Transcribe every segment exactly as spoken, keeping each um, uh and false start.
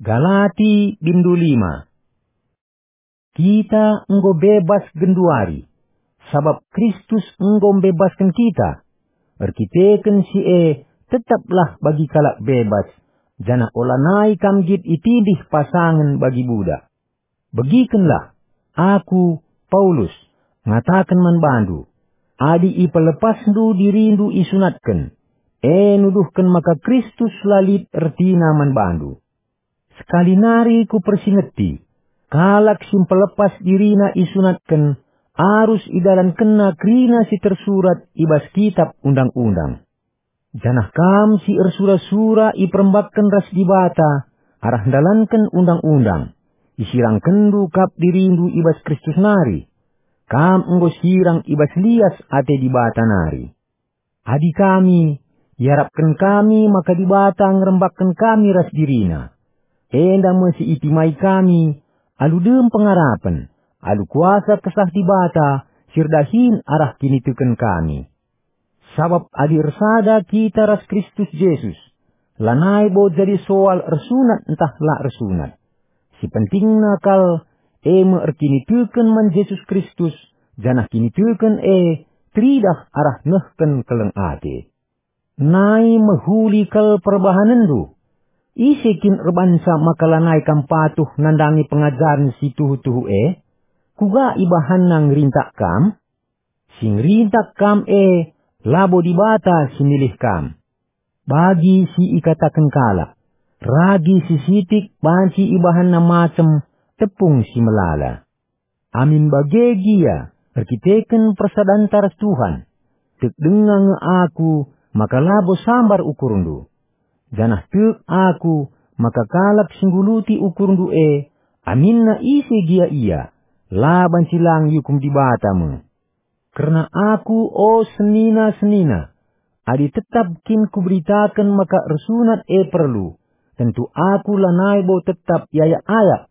Galati bindu lima. Kita enggo bebas genduari, sabap Kristus enggo mbebasken kita. Erkiteken si e, tetaplah bagi kalak bebas, janah olanai kam nggit itindih pasangen bagi budak. Begikenlah, aku, Paulus, ngataken man bandu, adi ipelepasndu dirindu isunatken, e nuduhken maka Kristus la lit ertina man bandu. Sekali nari kupersingeti, kalak si mpelepas dirina isunatken arus idalankenna kerina si tersurat i bas Kitap Undang-undang. Janah kam si ersura-sura iperembakken ras Dibata arah ndalanken Undang-undang, isirangkenndu kap dirindu i bas Kristus nari. Kam enggo sirang i bas lias ate Dibata nari. Adi kami, iarapken kami maka Dibata ngerembakken kami ras diriNa. Enda me si itimai kami, alu dem pengarapen, alu kuasa Kesah Dibata si erdahin arah kiniteken kami. Sabap adi ersada kita ras Kristus Jesus, lanai bo jadi soal ersunat ntah la ersunat. Si pentingna kal, e me erkiniteken man Jesus Kristus, janah kiniteken e teridah arah nehken keleng ate. Nai mehuli kal perbahanenndu. Ise kin erbansa maka lanai kam patuh nandangi pengajaren si tuhu-tuhu e? Kuga ibahanna ngerintak kam? Si ngerintak kam e, labo Dibata si milih kam. Bagi si ikataken kalak, ragi si sitik banci ibahanna macem tepung si melala. Amin bage gia, erkiteken persadanta ras Tuhan, tek denga nge aku maka labo sambar ukurndu. Janah tek aku maka kalak si ngguluti ukurndu e, aminna ise gia ia, la banci lang iukum Dibata me. Kerna aku, o senina-senina, adi tetap kin kuberitaken maka ersunat e perlu, tentu aku lanai bo tetap iayak-ayak.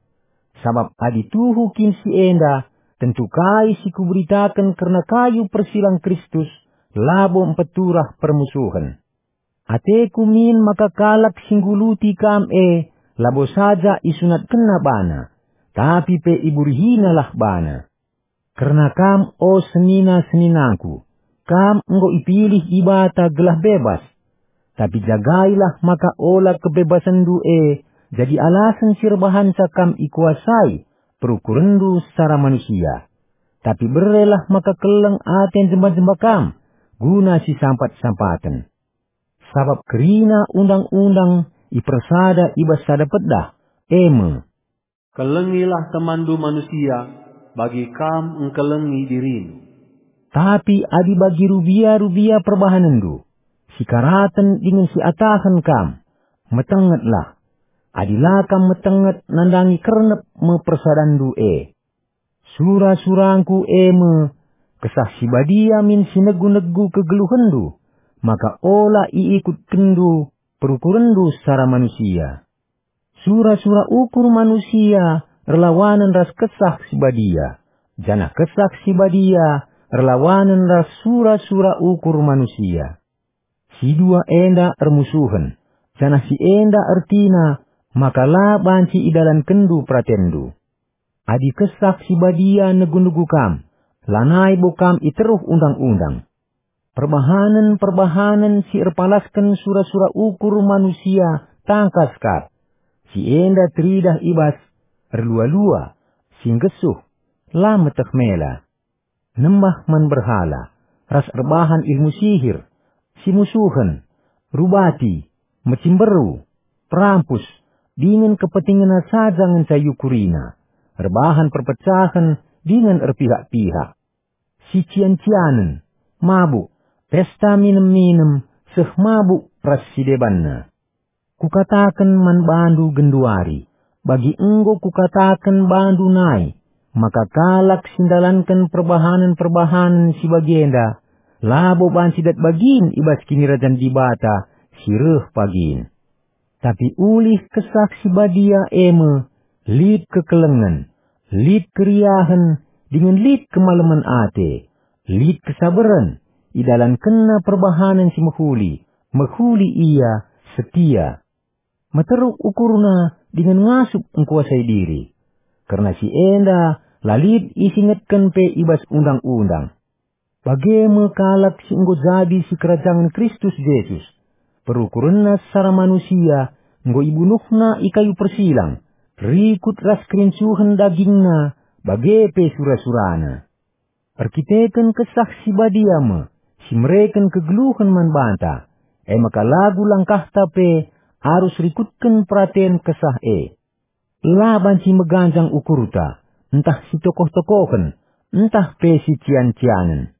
Sabap adi tuhu kin si enda, tentu kai si kuberitaken kerna kayu persilang Kristus labo mpeturah permusuhen. Ateku min maka kalak si ngguluti kam e labo saja isunatkenna bana, tapi pe iburihinalah bana. Kerna kam, o senina-seninangku, kam enggo ipilih Dibata gelah bebas. Tapi jagailah maka ola kebebasenndu e jadi alasen si erbahanca kam ikuasai perukurenndu secara manusia. Tapi berelah maka keleng ate jemba-jemba kam guna sisampat-sampaten. Sabap kerina undang-undang ipersada i bas sada pedah, e me, "Kelengilah temanndu manusia, bagi kam engkelengi dirindu." Tapi adi bagi rubia-rubia perbahanenndu, sikaraten dingen siatahen kam, metengetlah. Adi la kam metenget, nandangi kernep me persadanndu e. Sura-surangku e me, Kesah Si Badia min si negu-negu kegeluhenndu, maka ola iikutkenndu perukurenndu secara manusia. Sura-sura ukur manusia erlawanen ras Kesah Si Badia, janah Kesah Si Badia erlawanen ras sura-sura ukur manusia. Si dua enda ermusuhen, janah si enda ertina maka la banci idalankenndu peratenndu. Adi Kesah Si Badia negu-negu kam, lanai bo kam iteruh undang-undang. Perbahanen-perbahanen si erpalasken sura-sura ukur manusia tangkas kap. Si enda teridah i bas erlua-lua, si nggesuh, la meteh mela, nembah man berhala, ras erbahan ilmu sihir, simusuhen, rubati, mecimberu, perampus, dingen kepentingenna saja ngenca iukurina, erbahan perpecahen dingen erpihak-pihak, sician-cianen, mabuk, pesta minem-minem, seh mabuk ras si debanna. Kukataken man bandu genduari, bagi enggo kukataken bandu nai, maka kalak si ndalanken perbahanen-perbahanen si bagenda, labo banci dat bagin i bas Kinirajan Dibata si reh pagin. Tapi ulih Kesah Si Badia e me, lit kekelengen, lit keriahen, dingen lit kemalemen ate, lit kesabaren, idalankenna perbahanen si mehuli, mehuli ia, setia. Meteruk ukurna dingen ngasup engkuasai diri. Kerna si enda la lit isingetken pe i bas Undang-undang. Bage me kalak si enggo jadi sikerajangen Kristus Jesus. Perukurenna secara manusia enggo ibunuhna i kayu persilang, rikut ras kerincuhen dagingna, bage pe sura-surana. Erkiteken Kesah Si Badia me si mereken kegeluhen man banta, e maka lagu langkahta pe arus rikutken peraten Kesah e. La banci meganjang ukurta, ntah si tokoh-tokohen, ntah pe si cian-cianen.